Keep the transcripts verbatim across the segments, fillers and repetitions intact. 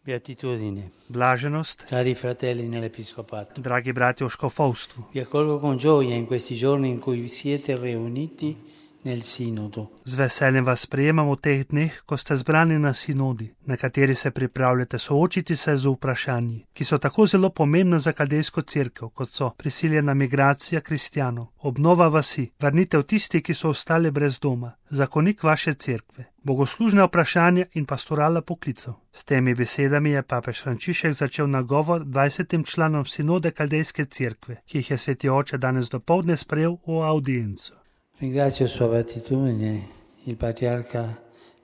Beatitudine. Blaženost, Cari fratelli nell'Episcopato, dragi brati v škofovstvu. vi accolgo con gioia in questi giorni in cui siete riuniti nel Sinodo. Z veseljem vas sprejemamo v teh dneh, ko ste zbrani na sinodi, na kateri se pripravljate soočiti se z vprašanji, ki so tako zelo pomembna za kaldejsko cerkev, kot so prisiljena migracija kristjanov, obnova vasi, vrnitev tisti, ki so ostali brez doma, zakonik vaše cerkve, bogoslužne vprašanja in pastorala poklicev. S temi besedami je papež Frančišek začel nagovor dvajsetim članom sinode kaldejske cerkve, ki jih je sveti oče danes dopoldne sprejel v audienco. Ringrazio Sua Beatitudine, il patriarca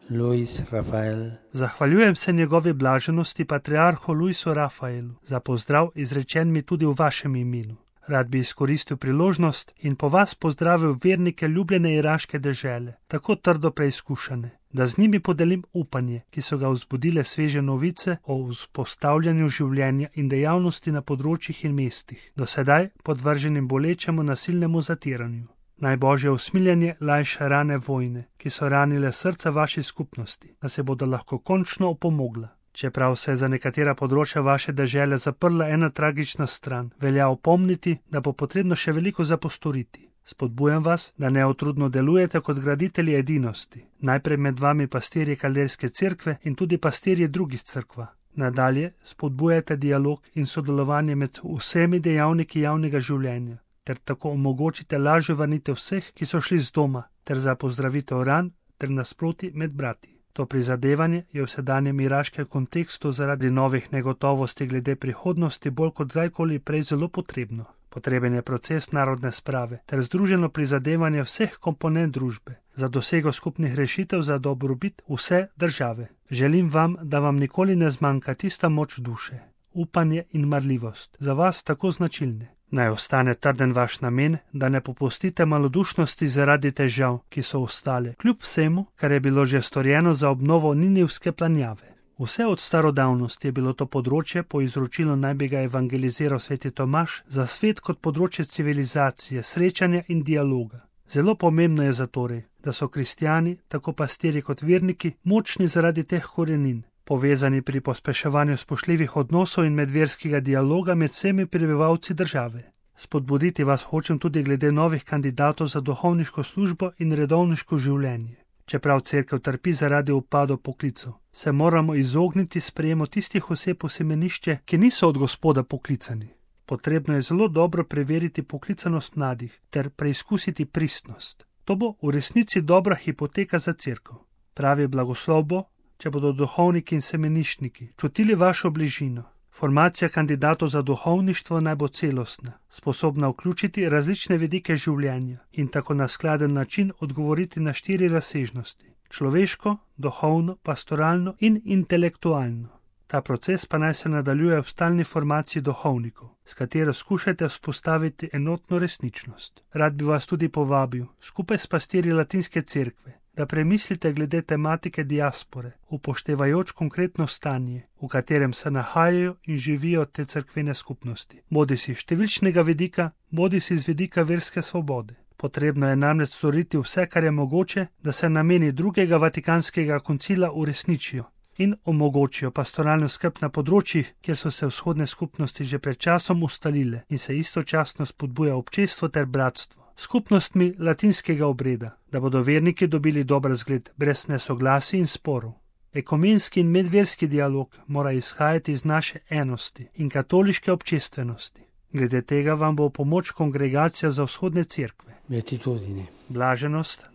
Luis Rafael. Zahvaljujem se njegovi blaženosti patriarhu Luisu Rafaelu za pozdrav izrečen mi tudi v vašem imenu. Rad bi izkoristil priložnost in po vas pozdravil vernike ljubljene iraške dežele, tako trdo preizkušane, da z njimi podelim upanje, ki so ga vzbudile sveže novice o vzpostavljanju življenja in dejavnosti na področjih in mestih, do sedaj podvrženim bolečemu nasilnemu zatiranju. Naj Božje usmiljanje lajša rane vojne, ki so ranile srca vaši skupnosti, da se bodo lahko končno opomogla. Čeprav se je za nekatera področja vaše dežele zaprla ena tragična stran, velja opomniti, da bo potrebno še veliko zapostoriti. Spodbujam vas, da neotrudno delujete kot graditelji edinosti, najprej med vami pastirji kaldejske cerkve in tudi pastirji drugih cerkva. Nadalje spodbujate dialog in sodelovanje med vsemi dejavniki javnega življenja, ter tako omogočite lažjo vrnitev vseh, ki so šli z doma, ter za pozdravitev ran ter nasproti med brati. To prizadevanje je v sedanjem iraškem kontekstu zaradi novih negotovosti glede prihodnosti bolj kot kdajkoli prej zelo potrebno. Potreben je proces narodne sprave ter združeno prizadevanje vseh komponent družbe za dosego skupnih rešitev za dobrobit vse države. Želim vam, da vam nikoli ne zmanjka tista moč duše, upanje in marljivost, za vas tako značilne. Naj ostane trden vaš namen, da ne popustite malodušnosti zaradi težav, ki so ostale, kljub vsemu, kar je bilo že storjeno za obnovo Ninivske planjave. Vse od starodavnosti je bilo to področje po izročilu naj bi ga evangeliziral sveti Tomaž za svet kot področje civilizacije, srečanja in dialoga. Zelo pomembno je zatorej, da so kristjani, tako pastirji kot verniki, močni zaradi teh korenin, povezani pri pospeševanju spoštljivih odnosov in medverskega dialoga med vsemi prebivalci države. Spodbuditi vas hočem tudi glede novih kandidatov za duhovniško službo in redovniško življenje. Čeprav cerkev trpi zaradi upadov poklicev, se moramo izogniti sprejemu tistih oseb v semenišče, ki niso od Gospoda poklicani. Potrebno je zelo dobro preveriti poklicanost mladih ter preizkusiti pristnost. To bo v resnici dobra hipoteka za cerkev. Pravi blagoslov bo, če bodo duhovniki in semeniščniki čutili vašo bližino. Formacija kandidatov za duhovništvo naj bo celostna, sposobna vključiti različne vidike življenja in tako na skladen način odgovoriti na štiri razsežnosti: človeško, duhovno, pastoralno in intelektualno. Ta proces pa naj se nadaljuje v stalni formaciji duhovnikov, s katero skušate vzpostaviti enotno resničnost. Rad bi vas tudi povabil, skupaj s pastirji latinske cerkve, da premislite glede tematike diaspore, upoštevajoč konkretno stanje, v katerem se nahajajo in živijo te cerkvene skupnosti, bodi si številčnega vidika, bodi si z vidika verske svobode. Potrebno je namreč storiti vse, kar je mogoče, da se nameni drugega vatikanskega koncila uresničijo in omogočijo pastoralno skrb na področjih, kjer so se vzhodne skupnosti že pred časom ustalile in se istočasno spodbuja občestvo ter bratstvo. Skupnostmi latinskega obreda, da bodo verniki dobili dober zgled brez nesoglasij in sporov. Ekumenski in medverski dialog mora izhajati iz naše enosti in katoliške občestvenosti. Glede tega vam bo v pomoč kongregacija za vzhodne cerkve. Beatitudine. Blaženost.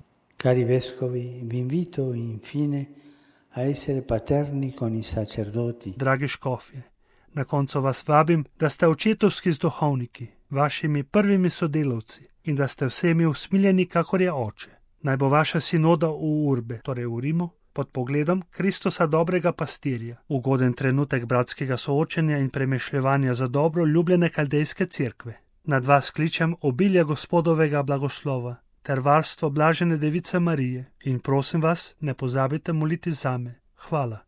Cari vescovi, vi invito infine a essere paterni con i sacerdoti. Dragi škofje, na koncu vas vabim, da ste očetovski z duhovniki, vašimi prvimi sodelavci, in da ste vsemi usmiljeni, kakor je oče. Naj bo vaša sinoda v Urbe, torej v Rimu, pod pogledom Kristusa dobrega pastirja, ugoden trenutek bratskega soočenja in premišljevanja za dobro ljubljene kaldejske cerkve. Nad vas kličem obilje Gospodovega blagoslova ter varstvo blažene Device Marije in prosim vas, ne pozabite moliti zame. Hvala.